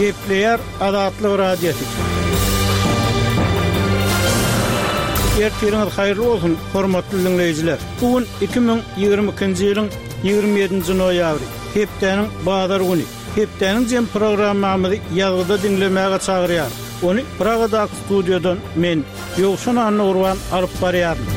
Gepleýär Azatlyk Radiosy. Ertiriňiz haýyrly bolsun, hormatly diňleýjiler! Bu gün 2022-nji ýylyň 27-nji noýabry, hepdäniň bazar güni. Hepdäniň jem programmamyzy ýazgyda diňlemäge çagyrýarys. Ony Pragadaky studiýadan men, Ýowşan Annagurban alyp barýaryn.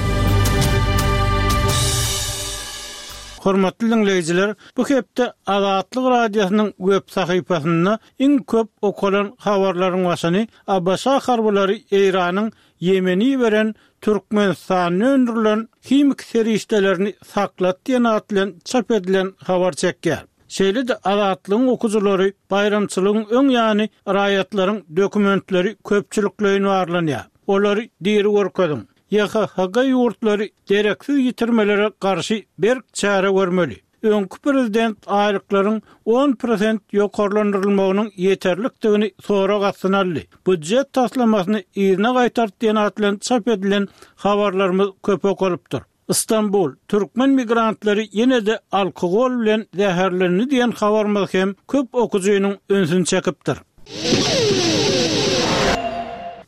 Hormatly diňleýjiler, bu hepde Azatlyk Radiosynyň web sahypasynda iň köp okalan habarlaryň başyny ABŞ harbylary Eýranyň Ýemene iberen Türkmenistanda öndürilen himiki serişdelerini saklat diýen at bilen çap edilen habar çekýär. Şeýle-de Azatlygyň okyjylary baýramçylygyň öň ýany raýatlaryň dokumentleri köpçülikleýin barlanýar. Olary diri görkeziň. YHHG ýurtlary dereksiz ýitirmelere garşy berk çäre görmeli. Öňki prezident aýlyklaryň on prosent ýokarlandyrylmagynyň ýeterlikdigini sorag astyna aldy. Býujet taslamasyny yzyna gaýtart diýen at bilen çap edilen habarlarymyz köp okalypdyr. Stambul, türkmen migrantlary ýene-de alkogol bilen zäherlendi diýen habarymyz hem köp okyjynyň ünsüni çekipdir.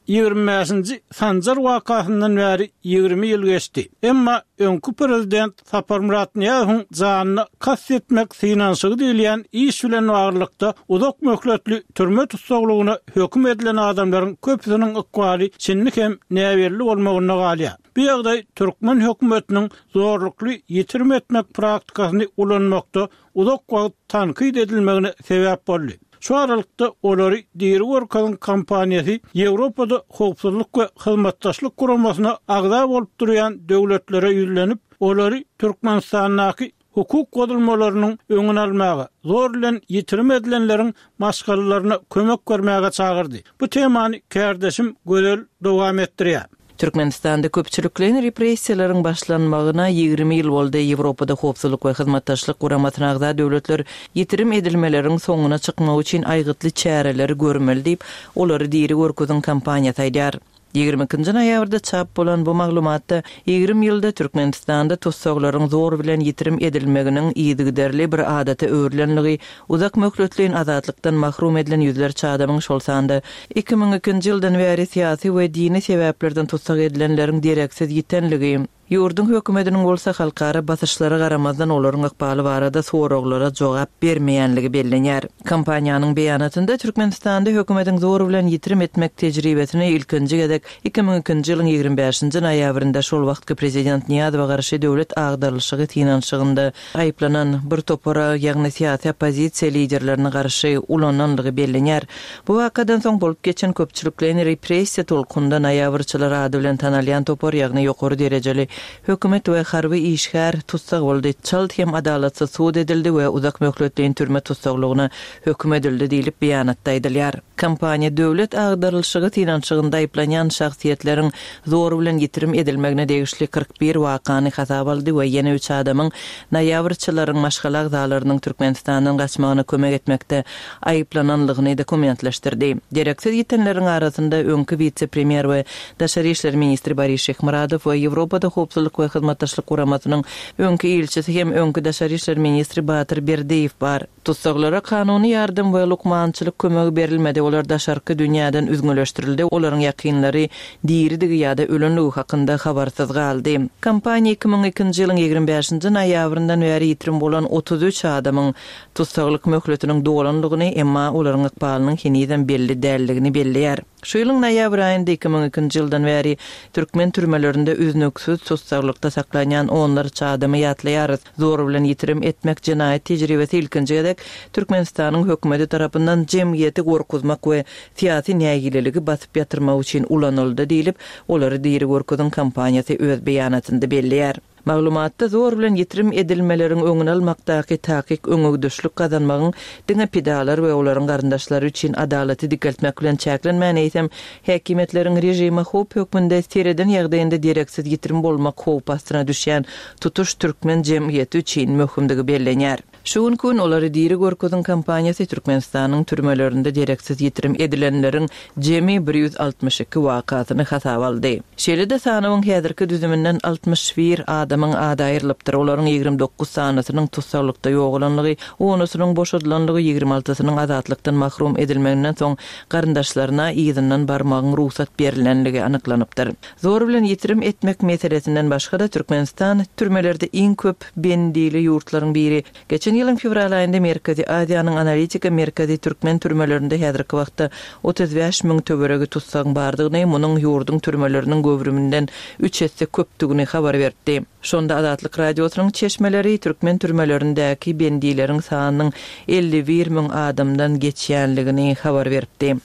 25-nji Sanjar wakasyndan bäri 20 ýyl geçdi. Emma öňki prezident Saparmyrat Nyýazowyň janyna kast etmek synanyşygy diýilýän iş bilen baglylykda uzak möhletli türme tussaglygyna höküm edilen adamlaryň köpüsiniň ykbaly şindi hem näbelli bolmagynda galýar. Bu ýagdaý türkmen hökümetiniň zorlukly ýitirim etmek praktikasyny ulanmakda uzak wagt tankyt edilmegine sebäp boldy. Şu aralykda Olary diri görkeziň kampaniýasy Ýewropada Howpsuzlyk we Hyzmatdaşlyk Guramasyna agza bolup durýan döwletlere ýüzlenip, olary Türkmenistandaky hukuk bozulmalarynyň öňüni almaga, zor bilen ýitirim edilenleriň maşgalalaryna kömek bermäge çagyrdy. Bu temany kärdeşim Gözel dowam etdirýär. Türkmenistanda köpçülikleýin repressiýalaryň başlanmagyna 20 ýyl boldy. Ýewropada Howpsuzlyk we Hyzmatdaşlyk Guramasyna agza döwletler ýitirim edilmeleriň soňuna çykmak üçin aýgytly çäreleri görmeli diýip, Olary diri görkeziň kampaniýasy aýdýar. 22-nji noýabrda çap bolan bu maglumatda 20 ýylda Türkmenistanda tussaglaryň zor bilen ýitirim edilmeginiň yzygiderli bir adata öwrülenligi, uzak möhletleýin azatlykdan mahrum edilen ýüzlerçe adamyň, şol sanda 2002-nji ýyldan bäri syýasy we dini sebäplerden tussag edilenleriň dereksiz ýitenligi, Ýurduň hökümetiniň bolsa halkara basyşlara garamazdan olaryň ykbaly barada soraglara jogap bermeýänligi bellenýär. Kompaniýanyň beýanatynda Türkmenistanda hökümetiň zor bilen ýitirim etmek tejribesini ilkinji gezek 2002-nji ýylyň 25-nji noýabrynda şol wagtky prezident Nyýazowa garşy döwlet agdarylyşygy synanyşygynda aýyplanan bir topara, ýagny syýasy oppozisiýa liderlerine garşy ulananlygy bellenýär. Bu wakadan soň bolup geçen köpçülikleýin repressiýa tolkunynda noýabrçylar ady bilen tanalýan topar, ýagny ýokary derejeli hökümet we harby işgär tussag boldy, çalt hem adalatsyz sud edildi we uzak möhletleýin türme tussaglygyna höküm edildi diýlip, beýanatda aýdylýar. Kompaniýa döwlet agdarylyşygy synanyşygynda aýyplanýan şahsyýetleriň zor bilen ýitirim edilmegine degişli 41 wakany hasaba aldy we ýene üç adamyň noýabrçylaryň maşgala agzalarynyň Türkmenistandan gaçmagyna kömek etmekde aýyplananlygyny dokumentleşdirdi. Dereksiz ýitenleriň arasynda öňki wise-premýer we daşary işler ministri Boris Şyhmyradow we Ýewropada Howpsuzlyk we Hyzmatdaşlyk Guramasynyň öňki ilçisi hem öňki daşary işler ministri Batyr Berdiýew bar. Tussaglara kanuny ýardam we lukmançylyk kömegi berilmedi, olar daşarky dünýäden üzňeleşdirildi, olaryň ýakynlary diridigi ýa-da ölenligi hakynda habarsyz galdy. Kompaniýa 2002-nji ýylyň 25-nji noýabryndan bäri ýitirim bolan 33 adamyň tussaglyk möhletiniň dolanlygyny, emma olaryň ykbalynyň henizem belli däldigini belleýär. Şu ýylyň noýabr aýynda 2002-nji ýyldan bäri türkmen türmelerinde üznüksiz tussaglykda saklanýan onlarça adamy ýatlaýarys. Zor bilen ýitirim etmek jenaýat tejribesi ilkinji gezek Türkmenistanyň hökümeti tarapyndan jemgyýeti gorkuzmak we syýasy nägileligi basyp ýatyrmak üçin ulanyldy diýlip, Olary diri görkeziň kampaniýasy öz beýanatynda belleýär. Maglumatda zor bilen ýitirim edilmeleriň öňüni almakdaky takyk öňegidişlik gazanmagyň diňe pidalar we olaryň garyndaşlary üçin adalaty dikeltmek bilen çäklenmän, eýsem, häkimiýetleriň režime howp hökmünde sereden ýagdaýynda dereksiz ýitirim bolmak howpy astyna düşýän tutuş türkmen jemgyýeti üçin möhümdigi bellenýär. Şu günki gün Olary diri görkeziň kampaniýasy Türkmenistanyň türmelerinde dereksiz ýitirim edilenleriň jemi 162 wakasyny hasaba aldy. Şeýle-de sanawyň häzirki düzüminden 61 adamyň ady aýrylypdyr, olaryň 29 sanysynyň tussaglykda ýogalanlygy, onusynyň boşadylanlygy, ýigrimi altysynyň azatlykdan mahrum edilmeginden soň garyndaşlaryna yzyndan barmagyň rugsat berlenligi anyklanypdyr. Zor bilen ýitirim etmek meselesinden başga-da, Türkmenistan türmelerde iň köp bendili ýurtlaryň biri. Geçen ýylyň fewral aýynda Merkezi Aziýanyň analitika merkezi türkmen türmelerinde häzirki wagtda 35 müň töweregi tussagyň bardygyny, munuň ýurduň türmeleriniň göwrüminden üç esse köpdügini habar beripdi. Şonda Azatlyk Radiosynyň çeşmeleri türkmen türmelerindäki bendileriň sanynyň 51 müň adamdan geçýänligini habar beripdi.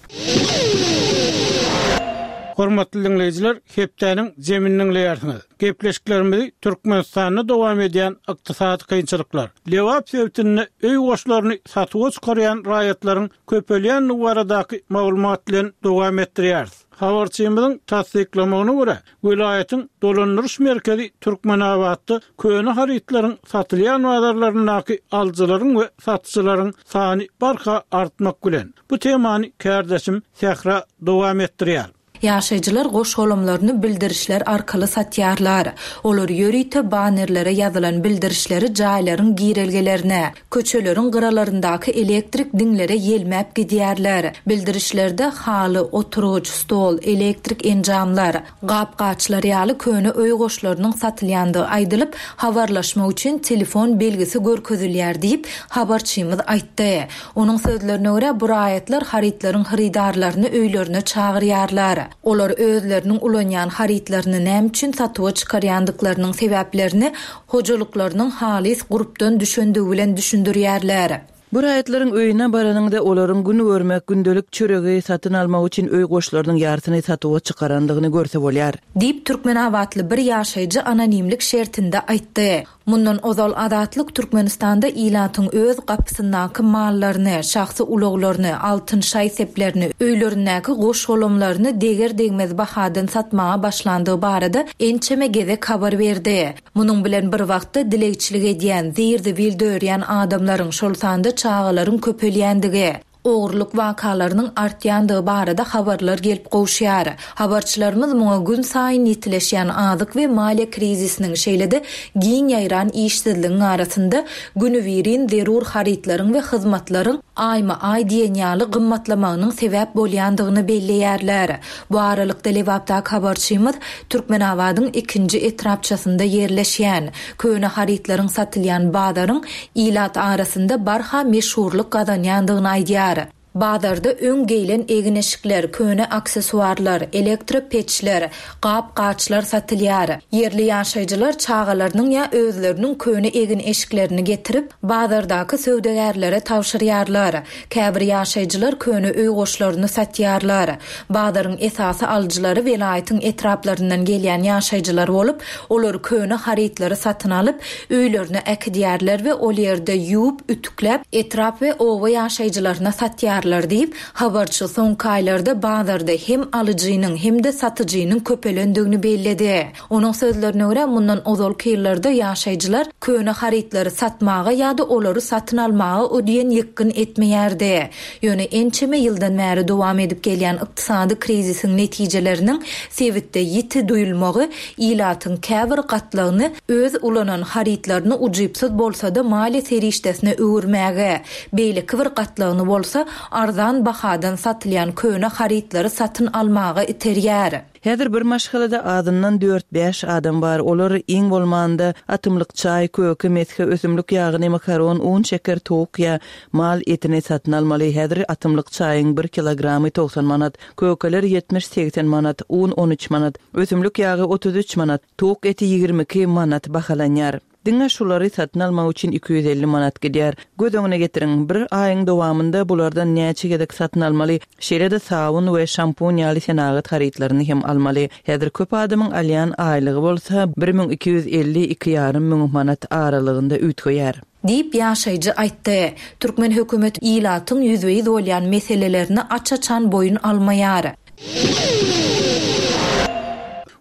Hormatly diňleýjiler, hepdäniň jemini diňleýärsiňiz. Gepleşiklerimizi Türkmenistanda dowam edýän ykdysady kynçylyklar, Lebap sebitinde öý goşlaryny satuwa çykarýan raýatlaryň köpelýändigi baradaky maglumat bilen dowam etdirýäris. Habarçymyzyň tassyklamagyna görä, welaýatyň dolandyryş merkezi Türkmenabatda köne harytlaryň satylýan bazarlaryndaky alyjylaryň we satyjylaryň sany barha artmak bilen. Bu temany kärdeşim Sähra dowam etdirýär. Ýaşaýjylar goş-golamlaryny bildirişler arkaly satýarlar. Olar ýörite bannerlere ýazylan bildirişleri jaýlaryň girelgelerine, köçeleriň gyralaryndaky elektrik diňlere ýelmäp gidýärler. Bildirişlerde haly, oturgyç, stol, elektrik enjamlar, gap-gaçlar ýaly köne öý goşlarynyň satylýandygy aýdylyp, habarlaşmak üçin telefon belgisi görkezilýär diýip, habarçymyz aýtdy. Onuň sözlerine görä, bu raýatlar harytlaryň hyrydarlaryny öýlerine çagyrýarlar. Olar özleriniň ulanýan harytlaryny näme üçin satuwa çykarýandyklarynyň sebäplerini hojalyklarynyň halys gurpdan düşendigi bilen düşündirýärler. Bu raýatlaryň öýüne baranyňda olaryň gün görmek, gündelik çöregi satyn almak üçin öý goşlarynyň ýarsyny satuwa çykarandygyny görse bolýar. Diýip, türkmenabatly bir ýaşaýjy anonimlik şertinde aýtdy. Mundan ozal Azatlyk Türkmenistanda ilatyň öz gapysyndaky mallaryny, şahsy ulaglaryny, altyn şaý-seplerini, öýlerindäki goş-golamlaryny deger-degmez bahadan satmaga başlandygy barada ençeme gezek habar berdi. Munuň bilen bir wagtda dilegçilik edýän, zir-zibil dörýän adamlaryň, şol sanda çagalaryň köpelýändigi, ogurlyk wakalarynyň artýandygy barada habarlar gelip gowuşýar. Habarçylarymyz muňa günsaýyn ýitileşýän azyk we maliýe krizisiniň, şeýle-de giň ýaýran işsizligiň arasynda günübirin zerur harytlaryň we hyzmatlaryň aýma-aý diýen ýaly gymmatlamagynyň sebäp bolýandygyny belleýärler. Bu aralykda, Lebapdaky habarçymyz Türkmenabadyň ikinji etrapçasynda ýerleşýän, köne harytlaryň satylýan bazaryň ilat arasynda barha meşhurlyk gazanýandygyny aýdýar. Bazarda öň geýlen egin-eşikler, köne aksessuarlar, elektro peçler, gap-gaçlar satylýar. Ýerli ýaşaýjylar çagalarynyň ýa özleriniň köne egin-eşiklerini getirip, bazardaky söwdagärlere tabşyrýarlar. Käbir ýaşaýjylar köne öý goşlaryny satýarlar. Bazaryň esasy alyjylary welaýatyň etraplaryndan gelýän ýaşaýjylar bolup, olar köne harytlary satyn alyp, öýlerine äkidýärler we ol ýerde ýuwup, ütükläp, etrap we oba ýaşaýjylaryna satýarlar diýip, habarçy soňky aýlarda bazarda hem alyjynyň, hem-de satyjynyň köpelendigini belledi. Onuň sözlerine görä, mundan ozalky ýyllarda ýaşaýjylar köne harytlary satmaga ýa-da olary satyn almaga o diýen ýykgyn etmeýärdi. Ýöne ençeme ýyldan bäri dowam edip gelýän ykdysady krizisiň netijeleriniň sebitde ýiti duýulmagy ilatyň käbir gatlagyny öz ulanan harytlaryny ujypsyz bolsa-da maliýe serişdesine öwürmäge, beýleki bir gatlagyny bolsa arzan bahadan satylýan köne harytlary satyn almaga iterýär. Häzir bir maşgalada azyndan dört-bäş adam bar, olar iň bolmanda atymlyk çaý, köke, mesge, ösümlik ýagyny, makaron, un, şeker, towuk ýa mal etini satyn almaly. Häzir atymlyk çaýyň bir kilogramy 90 manat, kökeler ýetmiş-segsen manat, un 13 manat, ösümlik ýagy 33 manat, towuk eti 22 manat bahalanýar. Diňe şulary satyn almak üçin 250 manat gidýär. Göz öňüne getiriň, bir aýyň dowamynda bulardan näçe gezek satyn almaly, şeýle-de sabyn we şampun ýaly senagat harytlaryny hem almaly. Häzir köp adamyň alýan aýlygy bolsa 1250, iki ýarym müň manat aralygynda üýtgeýär. Diýip, ýaşaýjy aýtdy. Türkmen hökümeti ilatyň ýüzbe-ýüz bolýan meselelerini aç-açan boýun almaýar.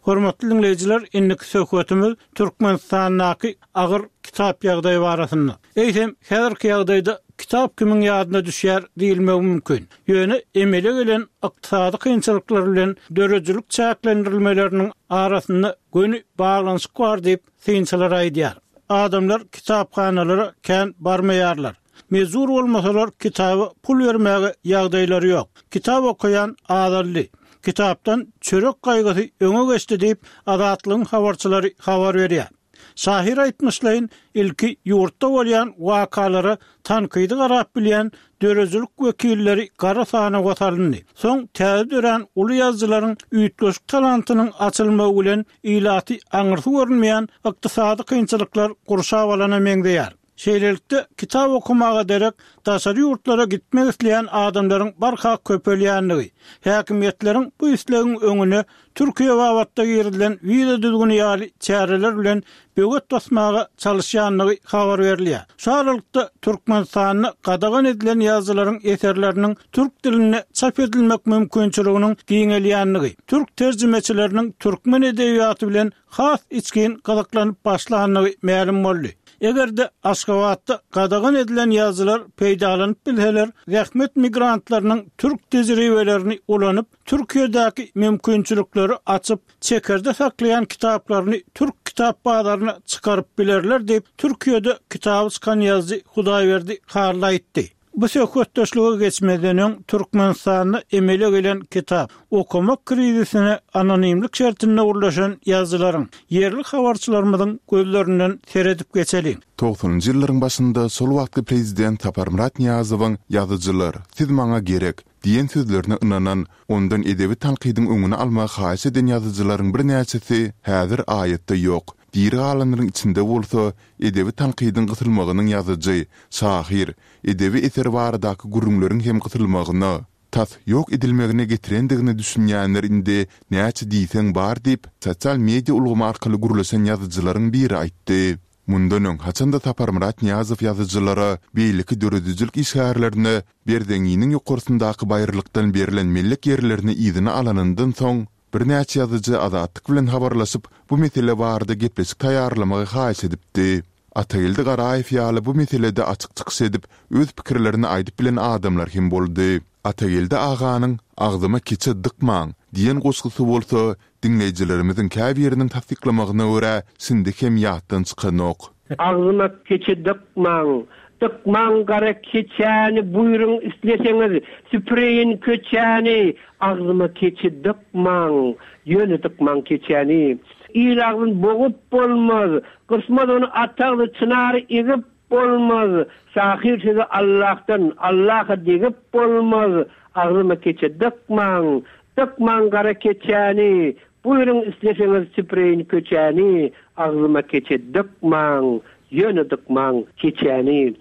Hormatly diňleýjiler, indiki söhbetimiz Türkmenistandaky agyr kitap ýagdaýy barasynda. Eýsem, häzirki ýagdaýda kitap kimiň ýadyna düşýär diýilmegi mümkin. Ýöne emele gelen ykdysady kynçylyklar bilen döredijilik çäklendirilmeleriniň arasynda göni baglanyşyk bar diýip, synçylar aýdýar. Adamlar kitaphanalara kän barmaýarlar. Mejbur bolmasalar kitaba pul bermäge ýagdaýlary ýok. Kitap okaýan azaldy. Kitapdan çörek gaýgysy öňe geçdi diýip, Azatlygyň habarçylary habar berýär. Şahyr aýtmyşlaýyn, ilki ýurtda bolýan wakalara tankydy garap bilýän döredijilik wekilleri gara sanawa salyndy. Soň täze dörän uly ýazyjylaryň üýtgeşik talantynyň açylmagy bilen ilaty aňyrsy görünmeýän ykdysady kynçylyklar gurşap alana meňzeýär. Şeýlelikde, kitap okamaga derek daşary ýurtlara gitmek isleýän adamlaryň barha köpelýändigi, häkimiýetleriň bu islegiň öňüne Türkiýe babatda girizilen wiza düzgüni ýaly çäreler bilen böwet basmaga çalyşýandygy habar berilýär. Şu aralykda, Türkmenistanda gadagan edilen ýazyjylaryň eserleriniň türk dilinde çap edilmek mümkinçiliginiň giňelýändigi, türk terjimeçileriniň türkmen edebiýaty bilen has içgin gyzyklanyp başlandygy mälim boldy. Eger-de Aşgabatda gadagan edilen ýazyjylar peýdalanyp bilseler, zähmet migrantlarynyň türk tejribelerini ulanyp, Türkiýedäki mümkinçilikleri açyp, çekerde saklaýan kitaplaryny türk kitap bazaryna çykaryp bilerler diýip, Türkiýede kitaby çykan ýazyjy Hudaýberdi Hally aýtdy. Bu söhbetdeşlige geçmezden öň, Türkmenistanda emele gelen kitap okamak krizisine anonimlik şertinde gürleşen ýazyjylaryň, ýerli habarçylarymyzyň gözlerinden seredip geçeliň. Togsanynjy ýyllaryň başynda şol wagtky prezident Saparmyrat Nyýazowyň Ýazyjylar, siz maňa gerek! diýen sözlerine ynanan, ondan edebi tankydyň öňüni almagy haýyş eden ýazyjylaryň birnäçesi häzir aýatda ýok. Diri galanlaryň içinde bolsa, edebi tankydyň gysylmagynyň ýazyjy, şahyr, edebi eser baradaky gürrüňleriň hem gysylmagyna, tas ýok edilmegine getirendigine düşünýänler indi näçe diýseň bar diýip, sosial media ulgamy arkaly gürleşen ýazyjylaryň biri aýtdy. Mundan öň, haçan-da Saparmyrat Nyýazow ýazyjylara, beýleki döredijilik işgärlerine Berzeňňiniň ýokarsyndaky baýyrlykdan berlen mellek ýerlerini yzyna alanyndan soň, birnäçe ýazyjy Azatlyk bilen habarlaşyp, bu mesele barada gepleşik taýýarlamagy haýyş edipdi. Atageldi Garaýew ýaly bu meselede açyk çykyş edip, öz pikirlerini aýdyp bilen adamlar hem boldy. Atageldi aganyň Agzyma keçe dykmaň! diýen goşgusy bolsa, diňleýjilerimiziň käbiriniň tassyklamagyna görä, şindi hem ýatdan çykanok. Agzyma keçe dykmaň! Dykmaň gara keçäni, buýruň isleseňiz, süpüreýin köçäni! Agzyma keçe dykmaň! Ýöne dykmaň keçäni! Il agzyn bogup bolmaz, Gysmaz ony at agzy çynary egip bolmaz, Şahyr sözi Allahdan, Allaha degip bolmaz, Agzyma keçe dykmaň, dykmaň gara keçäni, Buýruň isleseňiz süpüreýin köçäni, Agzyma keçe dykmaň, ýöne dykmaň keçäni.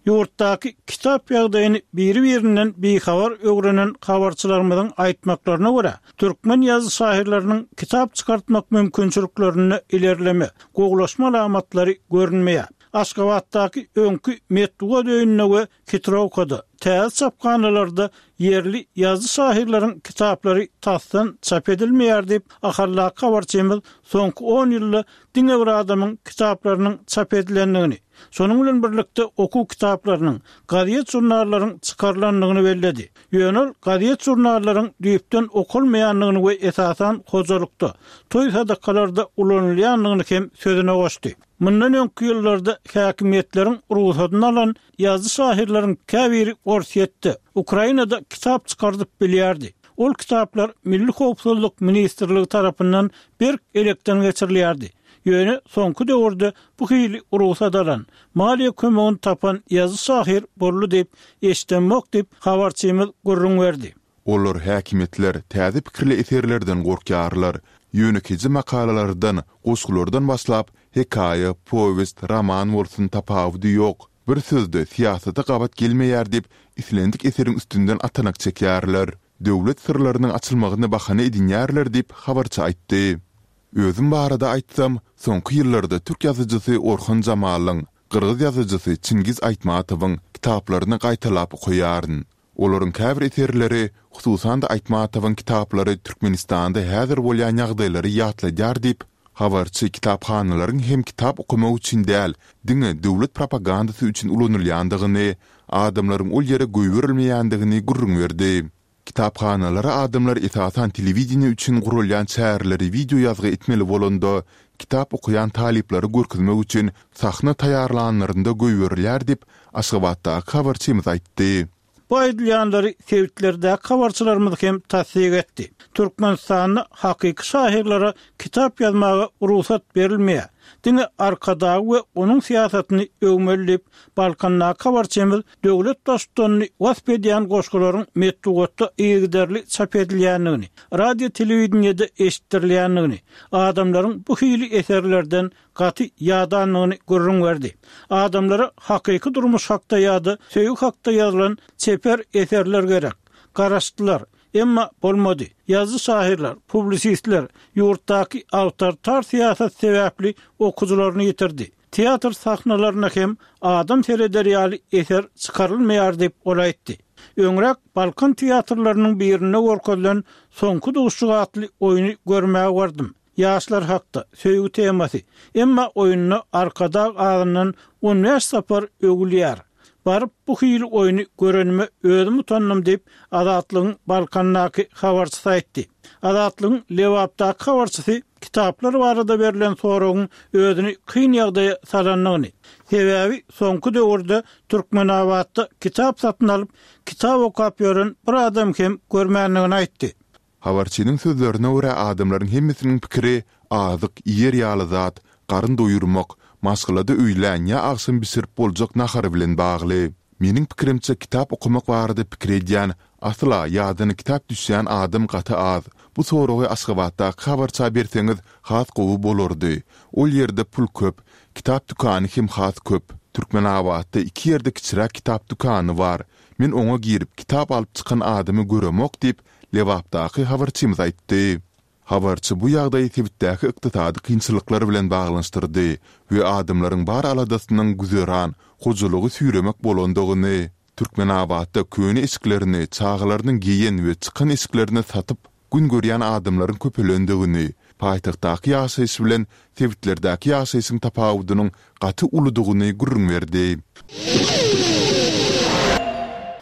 Ýurtdaky kitap ýagdaýyny biri-birinden bihabar öwrenen habarçylarymyzyň aýtmaklaryna görä, türkmen ýazyjy-şahyrlarynyň kitap çykartmak mümkinçiliklerinde ilerleme, gowulaşma alamatlary görünmeýär. Aşgabatdaky öňki Metbugat öýünde we Hitrowkada, täze çaphanalarda ýerli ýazyjy-şahyrlaryň kitaplary tasdan çap edilmeýär diýip, Ahaldaky habarçymyz soňky on ýylda diňe bir adamyň kitaplarynyň çap edilendigini, Şonuň bilen birlikde okuw kitaplarynyň, gazet-žurnallaryň çykarylandygyny belledi. Ýöne ol gazet-žurnallaryň düýpden okalmaýandygyny we esasan hojalykda, toý-sadakalarda ulanylýandygyny hem sözüne goşdy. Mundan öňki ýyllarda häkimiýetleriň rugsadyny alan ýazyjy-şahyrlaryň käbiri Orsýetde, Ukrainada kitap çykardyp bilýärdi. Ol kitaplar Milli howpsuzlyk ministrligi tarapyndan berk elekden geçirilýärdi. Ýöne soňky döwürde bu hili rugsat alan, maliýe kömegini tapan ýazyjy-şahyr boldy diýip, eşidemok diýip, habarçymyz gürrüň berdi. Olar, häkimiýetler, täze pikirli eserlerden gorkýarlar. Ýönekeýje makalalardan, goşgulardan başlap, hekaýa, powest, roman bolsun tapawudy ýok, bir sözde syýasata gabat gelmeýär diýip, islendik eseriň üstünden atanak çekýärler. Döwlet syrlarynyň açylmagyny bahana edinýärler diýip, habarçy aýtdy. Özüm barada aýtsam, soňky ýyllarda türk ýazyjysy Orhan Jamalyň, gyrgyz ýazyjysy Çingiz Aýtmatowyň kitaplaryny gaýtalap okaýaryn. Olaryň käbir eserleri, hususan-da Aýtmatowyň kitaplary Türkmenistanda häzir bolýan ýagdaýlary ýatladýar diýip, habarçy kitaphanalaryň hem kitap okamak üçin däl, diňe döwlet propagandasy üçin ulanylýandygyny, adamlaryň ol ýere goýberilmeýändigini gürrüň berdi. Kitaphanalara adamlar esasan telewideniýe üçin guralýan çäreleri wideo ýazgy etmeli bolanda, kitap okaýan talyplary görkezmek üçin sahna taýýarlanlarynda goýberilýär diýip, Aşgabatdaky habarçymyz aýtdy. Bu aýdylýanlary sebitlerdäki habarçylarymyz hem tassyk etdi. Türkmenistanda hakyky şahyrlara kitap ýazmaga rugsat berilmeýär. Diňe Arkadagy we onuň syýasatyny öwmeli diýip, Balkandaky habarçymyz Döwlet Baştutanyny wasp edýän goşgularyň metbugatda yzygiderli çap edilýändigini, radio-telewideniýede eşitdirilýändigini, adamlaryň bu hili eserlerden gaty ýadandygyny gürrüň berdi. Adamlara hakyky durmuş hakda ýa-da söýgi hakda ýazylan çeper eserler gerek. Garaşdylar. Emma bolmady. Ýazyjy-şahyrlar, publisistler ýurtdaky awtoritar syýasat sebäpli okyjylaryny ýitirdi. Teatr sahnalaryna hem adam sereder ýaly eser çykarylmaýar diýip, ol aýtdy. Öňräk Balkan teatrlarynyň birinde görkezilen Soňky duşuşyk atly oýny görmäge bardym. Ýaşlar hakda, söýgi temasy. Emma oýunda Arkadag azyndan on bäş sapar öwülýär. Baryp bu hili oýny görenime özüm utandym diýip, Azatlygyň Balkandaky habarçysy aýtdy. Azatlygyň Lebapdaky habarçysy kitaplar barada berlen soragyň özüni kyn ýagdaýa salandygyny, sebäbi soňky döwürde Türkmenabatda kitap satyn alyp, kitap okap ýören bir adam hem görmändigini aýtdy. Habarçynyň sözlerine görä, adamlaryň hemmesiniň pikiri azyk, iýer ýaly zat, garyn doýurmak, maşgalada öýlän ýa agşam bişirip boljak nahar bilen bagly. Meniň pikirimçe kitap okamak barada pikir edýän, asla ýadyna kitap düşýän adam gaty az. Bu soragy Aşgabatdaky habarça berseňiz has gowy bolardy. Ol ýerde pul köp, kitap dükany hem has köp. Türkmenabatda iki ýerde kiçiräk kitap dükany bar. Men oňa girip kitap alyp çykan adamy göremok diýip, Lebapdaky habarçymyz aýtdy. Habarçy bu ýagdaýy sebitdäki ykdysady kynçylyklar bilen baglanyşdyrdy we adamlaryň bar aladasynyň güzeran, hojalygy süýremek bolandygyny, Türkmenabatda köne eşiklerini, çagalarynyň geýen we çykan eşiklerini satyp gün görýän adamlaryň köpelendigini, paýtagtdaky ýaşaýyş bilen sebitlerdäki ýaşaýşyň tapawudynyň gaty uludygyny gürrüň berdi.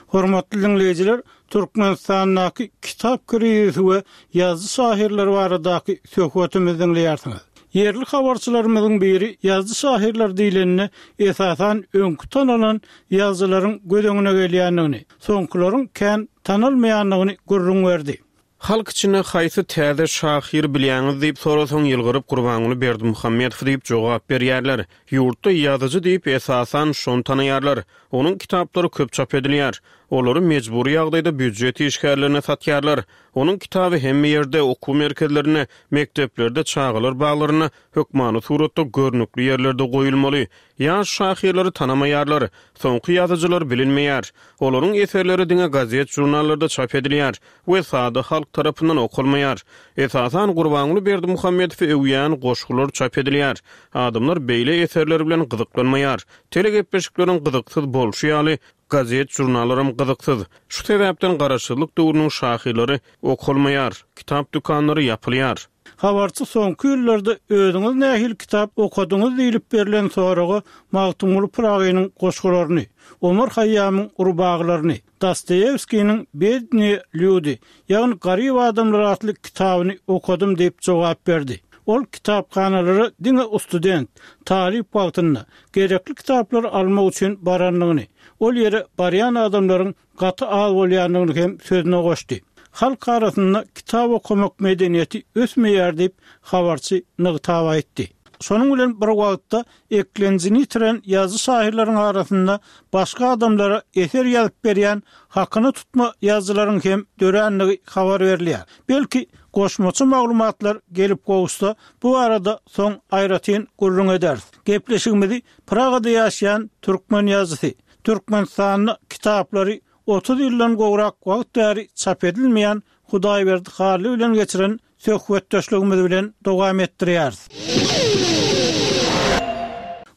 Hormatly diňleýjiler, Türkmenistandaky kitap krizisi we ýazyjy-şahyrlar baradaky söhbetimizi diňleýärsiňiz. Ýerli habarçylarymyzyň biri ýazyjy-şahyrlar diýlende, esasan, öňki tanalan ýazyjylaryň göz öňüne gelýändigini, soňkularyň kän tanalmaýandygyny gürrüň berdi. Halk içinde haýsy täze şahyry bilýäňiz diýip sorasaň, ýylgyryp Gurbanguly Berdimuhamedow diýip jogap berýärler. Ýurtda ýazyjy diýip, esasan, şony tanaýarlar. Onuň kitaplary köp çap edilýär. Olary mejbury ýagdaýda býujet işgärlerine satýarlar. Onuň kitaby hemme ýerde, okuw merkezlerinde, mekdeplerde, çagalar baglarynda hökmany suratda görnükli ýerlerde goýulmaly. Ýaş şahyrlary tanamaýarlar. Soňky ýazyjylar bilinmeýär. Olaryň eserleri diňe gazet-žurnallarda çap edilýär we sada halk tarapyndan okalmaýar. Esasan Gurbanguly Berdimuhamedowy öwýän goşgular çap edilýär. Adamlar beýle eserler bilen gyzyklanmaýar. Telegepleşikleriň gyzyksyz bolşy ýaly, gazet-žurnallaram gyzyksyz. Şu sebäpden garaşsyzlyk döwrüniň şahyrlary okalmaýar, kitap dükanlary ýapylýar. Habarçy soňky ýyllarda özüňiz nähili kitap okadyňyz diýlip berlen soraga Magtymguly Pyragynyň goşgularyny, Omar Haýýamyň rubagylaryny, Dostoýewskiniň Bednyýe lýudi, ýagny Garyp adamlar atly kitabyny okadym diýip jogap berdi. Ol kitaphanalara diňe ustudent, talyp wagtynda, gerekli kitaplary almak üçin barandygyny, ol ýere barýan adamlaryň gaty az bolýandygyny hem sözüne goşdy. Halk arasynda kitap okamak medeniýeti ösmeýär diýip, habarçy nygtap aýtdy. Şonuň bilen bir wagtda, eklenjini ýitiren ýazyjy-şahyrlaryň arasynda başga adamlara eser ýazyp berýän hakyna tutma ýazyjylaryň hem dörändigi habar berilýär. Belki, goşmaça maglumatlar gelip gowuşsa, bu barada soň aýratyn gürrüň ederis. Gepleşigimizi Pragada ýaşaýan türkmen ýazyjysy, Türkmenistanda kitaplary 30 ýyldan gowrak wagt bäri çap edilmeýän Hudaýberdi Hally bilen geçiren söhbetdeşligimiz bilen dowam etdirýäris.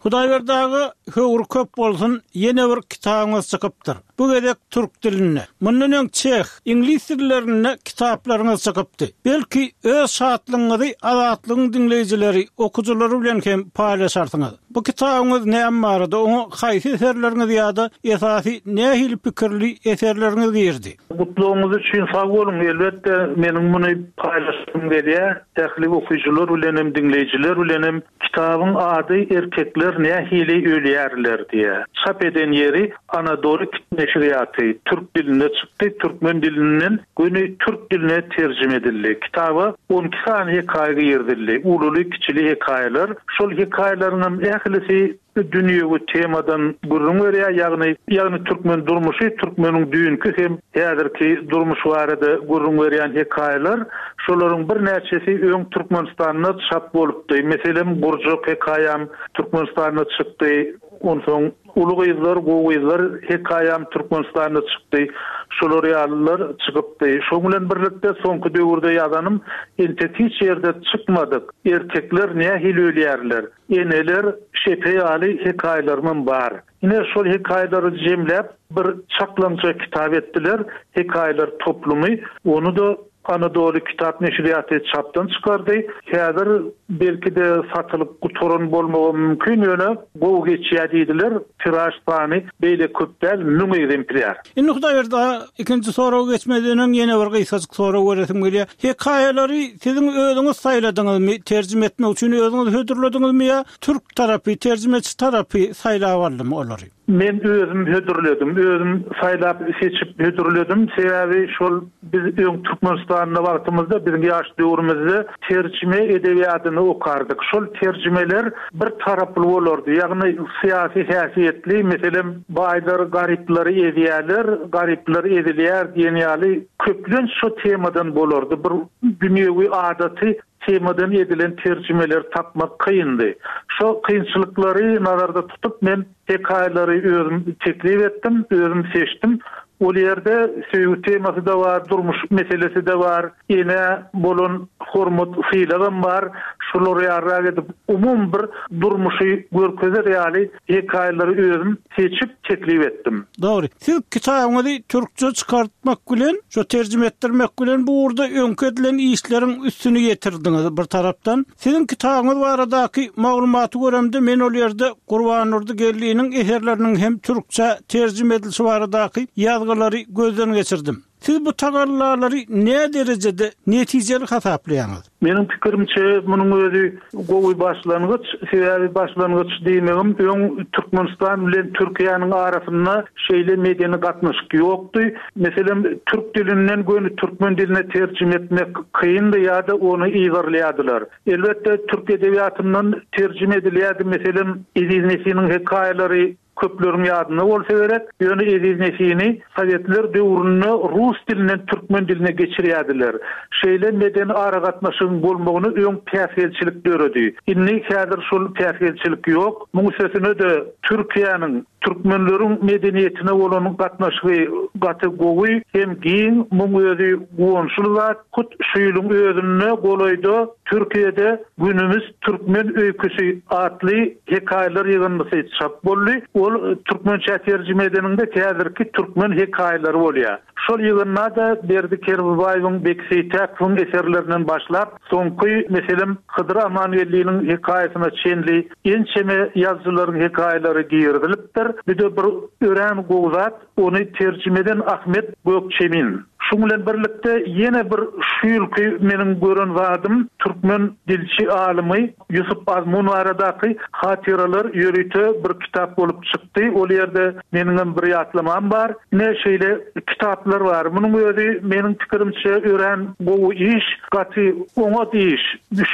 Hudaýberdi aga, höwri köp bolsun, ýene bir kitabyňyz çykypdyr. Bu gezek türk dilinde. Mundan öň çeh, iňlis dillerinde kitaplaryňyz çykypdy. Belki, öz şatlygyňyzy Azatlygyň diňleýjileri, okyjylary bilen hem paýlaşarsyňyz. Bu kitabyňyz näme barada, oňa haýsy eserleriňiz ýa-da esasy nähili pikirli eserleriňiz girdi? Gutlagyňyz üçin sag boluň. Elbetde, meniň muny paýlaşasym gelýär. Ähli okyjylar bilen hem, diňleýjiler bilen hem. Kitabyň ady Erkekler nähili ölýärler diýýär. Çap eden ýeri Anadoly neşirýaty. Türk dilinde çykdy, türkmen dilinden göni türk diline terjime edildi. Kitaba 12 sany hekaýa girizildi. Ululy-kiçili hekaýalar. Şol hekaýalaryňam ählisi dünýewi temadan gürrüň berýär, ýagny ýagny türkmen durmuşy, türkmeniň düýnki hem häzirki durmuşy barada gürrüň berýän hekaýalar. Şolaryň birnäçesi öň Türkmenistanda çap bolupdy. Meselem, Gurjak hekaýam Türkmenistanda çykdy. Onsoň Uly gyzlar, gowy gyzlar hekaýam Türkmenistanda çykdy. Şolar ýalylar çykypdy. Şoň bilen birlikde soňky döwürde ýazanym entek hiç ýerde çykmadyk Erkekler nähili ölýärler? Eneler şepe ýaly hekaýalarymam bar. Ine, şol hekaýalary jemläp, bir çaklaňja kitap etdiler, Hekaýalar toplumy. Ony-da Anadoly kitap neşirýaty çapdan çykardy. Häzir, belki-de, satylyp gutaran bolmagam mümkin, ýöne gowy geçýär diýdiler. Tiraž sany beýle köp däl, 1000 ekzemplýar. Indi Hudaýberdi aga, ikinji soraga geçmezden öň ýene bir gysgajyk sorag beresim gelýär. Hekaýalary siziň özüňiz saýladyňyzmy, terjime etmek üçin özüňiz hödürlediňizmi ýa türk tarapy, terjimeçi tarapy saýlap aldymy olary? Men özüm hödürledim. Özüm saýlap, seçip hödürledim. Sebäbi şol biz öň Türkmenistanda wagtymyzda, biziň ýaş döwrümizde terjime edebiýadyny okardyk. Şol terjimeler bir taraply bolardy, ýagny syýasy häsiýetli, meselem, baýlar garyplary ezýärler, garyplar ezilýär diýen ýaly köplenç şo temadan bolardy. Bir dünýewi adaty temadan edilen terjimeleri tapmak kyndy. Şo kynçylyklary nazarda tutup men hekaýalary özüm teklip etdim, özüm seçdim. Ol ýerde söýgi temasy-da bar, durmuş meselesi-de bar, enä bolan hormat, sylagam bar. Şular ýalyrak edip, umumy bir durmuşy görkezer ýaly hekaýalary özüm seçip teklip etdim. Dogry. Siz kitabyňyzy türkçe çykartmak bilen, şo terjime etdirmek bilen bu ugurda öňki edilen işleriň üstüni ýetirdiňiz bir tarapdan. Siziň kitabyňyz baradaky maglumaty göremde men ol ýerde Gurbandurdy Geldiniň eserleriniň hem türkçä terjime edilişi baradaky ýazgylary gözden geçirdim. Siz bu tagallalary näderejede netijeli hasaplaýaňyz? Meniň pikirimçe, munuň özi gowy başlangyç. Sebäbi başlangyç diýmegim, öň Türkmenistan bilen Türkiýäniň arasynda şeýle medeni gatnaşyk ýokdy. Meselem, türk dilinden göni türkmen diline terjime etmek kyndy ýa-da ony yzarlaýardylar. Elbetde, türk edebiýatyndan terjime edilýärdi. Meselem, Eziz Nesiniň hekaýalary Köpleriň ýadynda bolsa gerek, ýöne Eziz Nesini sowetler döwründe rus dilinden türkmen diline geçirýärdiler. Şeýle medeni aragatnaşygyň bolmagyna öň päsgelçilik döredi. Indi häzir şol päsgelçilik ýok. Muň üstesine-de Türkiýäniň türkmenleriň medeniýetine bolan gatnaşygy gaty gowy hem giň. Muň özi guwançly zat. Hut şu ýylyň özünde golaýda Türkiýede Günümiz türkmen öýküsi atly hekaýalar ýygyndysy çap boldy. Ol türkmençä terjime edeniňde häzirki türkmen hekaýalary bolýar. Şol ýygynda-da Berdi Kerbabaýewiň, Beki Seýtäkowyň eserlerinden başlap, soňky, meselem, Hydyr Amangeldiniň hekaýasyna çenli ençeme ýazyjylaryň hekaýalary girizilipdir. Bu-da bir örän gowy zat. Ony terjime eden Ahmet Gökçemin. Şuň bilen birlikde ýene bir şu ýylky meniň gören zadym türkmen dilçi alymy Ýusup Azmun baradaky hatyralar ýörite bir kitap bolup çykdy. Ol ýerde meniňem bir ýatlamam bar. Ine şeýle kitaplar bar. Munuň özi meniň pikirimçe örän gowy iş, gaty oňat iş.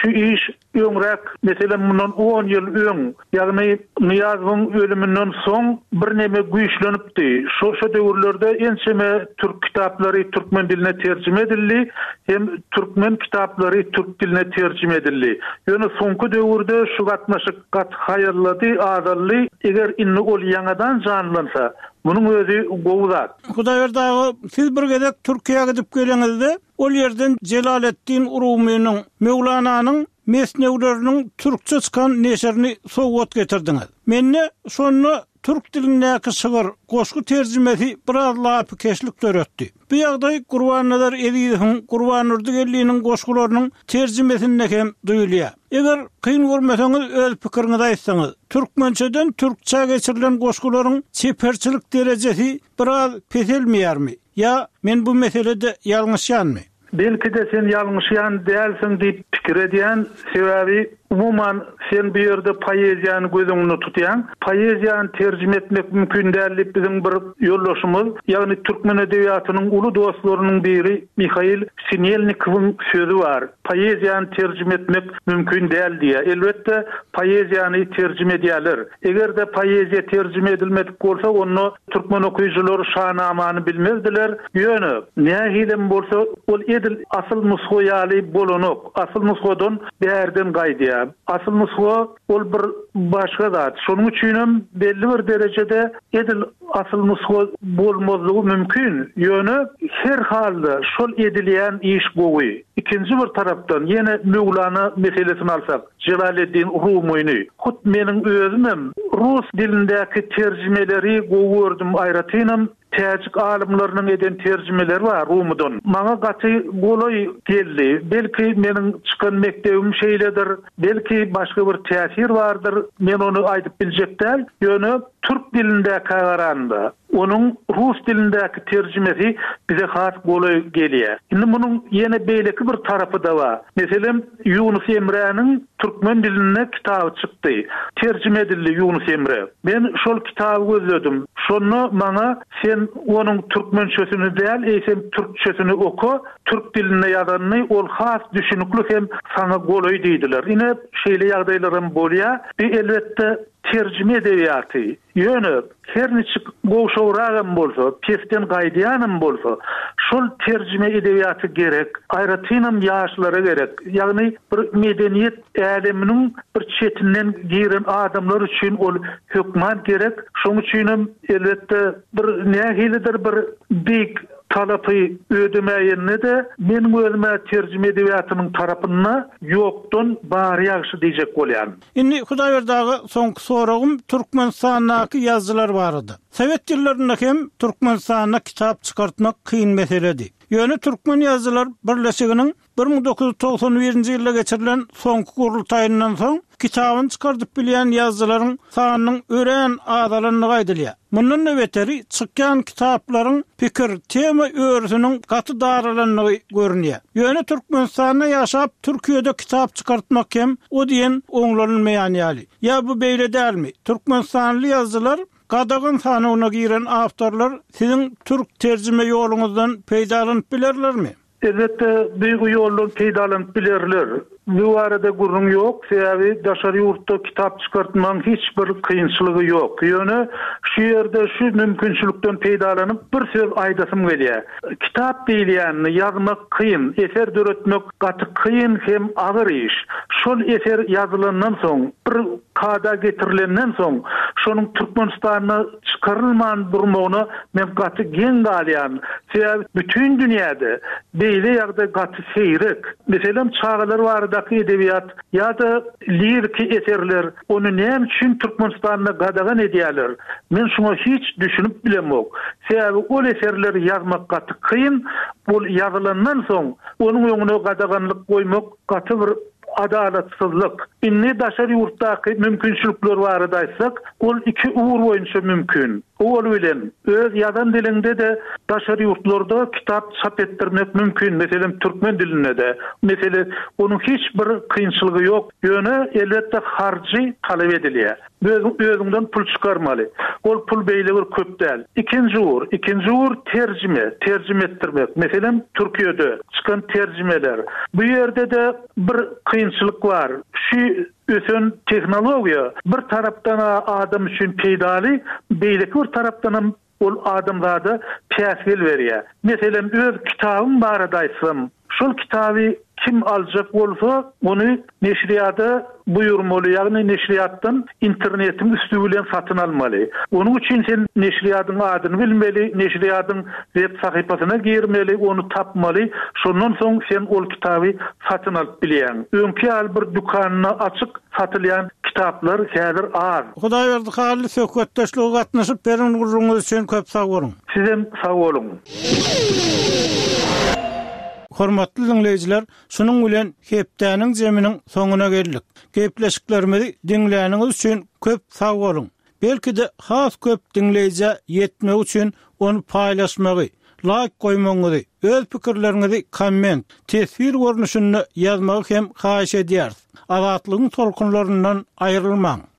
Şu iş Öňräk, meselem, mundan on ýyl öň, ýagny Nyýazowyň ölüminden soň birneme güýçlenipdi. Şo-şo döwürlerde ençeme türk kitaplary türkmen diline terjime edildi hem türkmen kitaplary türk diline terjime edildi. Ýöne soňky döwürde şu gatnaşyk gaty haýallady, azaldy. Eger indi ol ýaňadan janlansa, munuň özi gowy zat. Hudaýberdi aga, siz bir gezek Türkiýä gidip geleňizde, Ol ýerden Jelaleddin Rumynyň, Möwlananyň. Mesnewileriniň türkçe çykan neşirini sowgat getirdiňiz. Mende şonda türk dilindäki şygyr, goşgy terjimesi biraz lapykeçlik döretdi. Bu ýagdaý Gurbannazar Ezizowyň, Gurbandurdy Geldiniň goşgularynyň terjimesinde hem duýulýar. Eger kyn görmeseňiz öz pikiriňizi aýtsaňyz. Türkmençeden türkçä geçirilen goşgularyň çeperçilik derejesi biraz peselmeýärmi? Ýa men bu meselede ýalňyşýanmy? Belki-de sen ýalňyşýan dälsiň diýip pikir edýän, sebäbi umuman sen bu ýerde poeziýany göz öňünde tutýaň. Poeziýany terjime etmek mümkin däl diýip biziň bir ýoldaşymyz, ýagny türkmen edebiýatynyň uly dostlarynyň biri Mihail Sinelnikowyň sözi bar, Poeziýany terjime etmek mümkin däl diýýär. Elbetde, poeziýany terjime edýärler. Eger-de poeziýa terjime edilmedik bolsa, onda türkmen okyjylary Şanamany bilmezdiler. Ýöne, nähilem bolsa, ol edil asyl nusga ýaly bolanok. Asyl nusgadan bärden gaýdýar. Asyl nusga ol bir başga zat. Şonuň üçinem belli bir derejede edil asyl nusga bolmazlygy mümkin. Ýöne, her halda şol edilýän iş gowy. Ikinji bir tarapdan, ýene Möwlana meselesini alsak. Jelaleddin Rumyny. Hut meniň özümem rus dilindäki terjimeleri gowy gördüm, aýratynam täjik alymlarynyň eden terjimeleri bar Rumydan. Maňa gaty golaý geldi. Belki meniň çykan mekdebim şeýledir, belki başga bir täsir bardyr, men ony aýdyp biljek däl. Ýöne türk dilindäkä garanda, Onuň rus dilindäki terjimesi bize has golaý gelýär. Indi munuň ýene beýleki bir tarapy-da bar. Meselem, Ýunus Emräniň türkmen dilinde kitaby çykdy. Terjime edildi Ýunus Emre. Men şol kitaby gözledim. Şonda maňa sen onuň türkmençesini däl, eýsem türkçesini oka, türk dilinde ýazanyny, ol has düşünikli hem saňa golaý diýdiler. Ine, şeýle ýagdaýlaram bolýar. Bu elbetde terjime edebiýaty. Ýöne, her niçik gowşagragam bolsa, pesden gaýdýanam bolsa, şol terjime edebiýaty gerek, aýratynam ýaşlara gerek. Ýagny bir medeniýet äleminiň bir çetinden giren adamlar üçin ol hökman gerek. Şoň üçinem, elbetde, bir nähilidir bir beýik talapy ödemäýende-de, meniň özüm-ä terjime edebiýatynyň tarapynda ýokdan bary ýagşy diýjek bolýan. Indi Hudaýberdi aga soňky soragym Türkmenistandaky ýazyjylar barada. Sowet ýyllarynda hem Türkmenistanda kitap çykartmak kyn meseledi. Ýöne Türkmen ýazyjylar birleşiginiň 1991-nji ýylda geçirilen soňky gurultaýyndan soň kitabyny çykardyp bilýän ýazyjylaryň sanynyň örän azalandygy aýdylýar. Mundan-da beteri, çykýan kitaplaryň pikir, tema örüsiniň gaty daralandygy görünýär. Ýöne Türkmenistanda ýaşap, Türkiýede kitap çykartmak hem o diýen oňlanylmaýan ýaly. Ýa bu beýle dälmi? Türkmenistanly ýazyjylar gadagan sanawyna giren awtorlar siziň türk terjime ýoluňyzdan peýdalanyp bilerlermi? Elbetde, bu ýoldan peýdalanyp bilerler. Bu barada gürrüň ýok, sebäbi daşary ýurtda kitap çykartmagyň hiç bir kynçylygy ýok. Ýöne şu ýerde şu mümkinçilikden peýdalanyp bir söz aýdasym gelýär. Kitap diýilýänini ýazmak kyn, eser döretmek gaty kyn hem agyr iş. Şol eser ýazylandan soň, bir kada getirilenden soň, şonuň Türkmenistanda çykarylman durmagyna men gaty geň galýan. Sebäbi bütin dünýäde beýle ýagdaý gaty seýrek. Meselem, çagalar baradaky edebiýat ýa-da liriki eserler, ony näme üçin Türkmenistanda gadagan edýärler? Men şuňa hiç düşünip bilemok. Sebäbi ol eserleri ýazmak gaty kyn, ol ýazylandan soň onuň öňüne gadaganlyk goýmak gaty bir Adalatsyzlyk. Indi daşary ýurtdaky mümkinçilikler barada aýtsak, ol iki ugur boýunça mümkin. Owal bilen, öz ýazan diliňde-de daşary ýurtlarda kitap çap etdirmek mümkin, meselem, türkmen dilinde-de. Mesele, onuň hiç bir kynçylygy ýok, ýöne, elbetde, harjy talap edilýär. Özüň özüňden pul çykarmaly. Ol pul beýle bir köp däl. Ikinji ugur, ikinji ugur terjime, terjime etdirmek. Meselem, Türkiýede çykan terjimeler. Bu ýerde-de bir kynçylyk bar. Şu ösen tehnologiýa bir tarapdan-a adam üçin peýdaly, beýleki bir tarapdanam Ol adamzada päsgel berýär. Meselem, öz kitabym barada aýtsam, şol kitaby Kim aljak bolsa, ony neşirýada buýurmaly, ýagny neşirýatdan internetiň üsti bilen satyn almaly. Onuň üçin sen neşirýadyň adyny bilmeli, neşirýadyň web sahypasyna girmeli, ony tapmaly, şondan soň sen ol kitaby satyn alyp bilýäň. Öňki ýaly bir dükanda açyk satylýan kitaplar häzir az. Hudaýberdi Hally söhbetdeşlige gatnaşyp beren gürrüňiňiz üçin köp sag boluň. Sizem sag boluň. Hormatly diňleýjiler, şunuň bilen hepdäniň jeminiň soňuna geldik. Gepleşiklerimizi diňläniňiz üçin köp sag boluň! Belki-de has köp diňleýjä ýetmegi üçin ony paýlaşmagy, laýk goýmagyňyzy, öz pikirleriňizi komment, teswir görnüşinde ýazmagy hem haýyş edýäris. Azatlygyň tolkunlaryndan aýrylmaň!